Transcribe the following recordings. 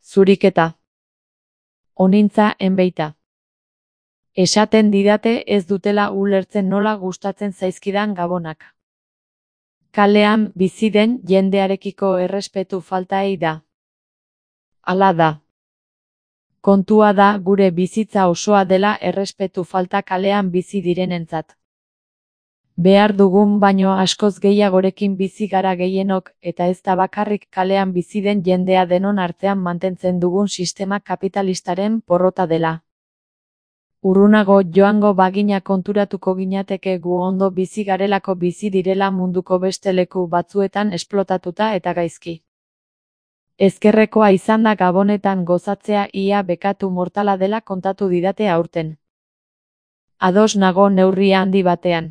Zuriketa. Onintza enbeita. Esaten didate ez dutela ulertzen nola gustatzen zaizkidan gabonak. Kalean bizi den jendearekiko errespetu faltaei da. Hala da. Kontua da gure bizitza osoa dela errespetu falta kalean bizi direnentzat. Behar dugun baino askoz gehiagorekin bizi gara gehienok, eta ez da bakarrik kalean bizi den jendea denon artean mantentzen dugun sistema kapitalistaren porrota dela. Urrunago joango bagina konturatuko ginateke gu ondo bizi garelako bizi direla munduko beste leku batzuetan esplotatuta eta gaizki. Ezkerrekoa izan da Gabonetan gozatzea ia bekatu mortala dela kontatu didate aurten. Ados nago neurri handi batean.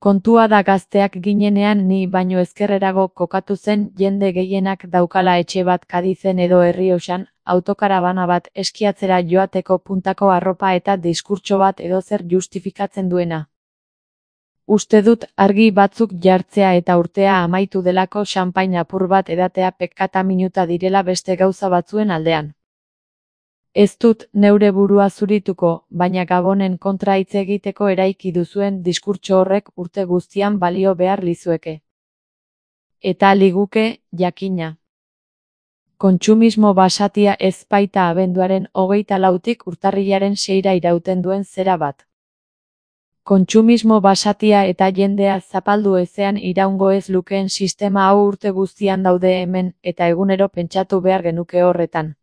Kontua da gazteak ginenean ni baino ezkerrerago kokatu zen jende gehienak daukala etxe bat Kadizen edo Errioxan, autokarabana bat eskiatzera joateko puntako arropa eta diskurtso bat edozer justifikatzen duena. Uste dut argi batzuk jartzea eta urtea amaitu delako xanpain apur bat edatea pekata minuta direla beste gauza batzuen aldean. Ez dut neure burua zurituko, baina Gabonen kontra hitz egiteko eraiki duzuen diskurtso horrek urte guztian balio behar lizueke. Eta liguke, jakina. Kontsumismo basatia ez baita abenduaren 24tik urtarrilaren 6ra irauten duen zera bat. Kontsumismo basatia eta jendea zapaldu ezean iraungo ez lukeen sistema hau urte guztian daude hemen, eta egunero pentsatu behar genuke horretan.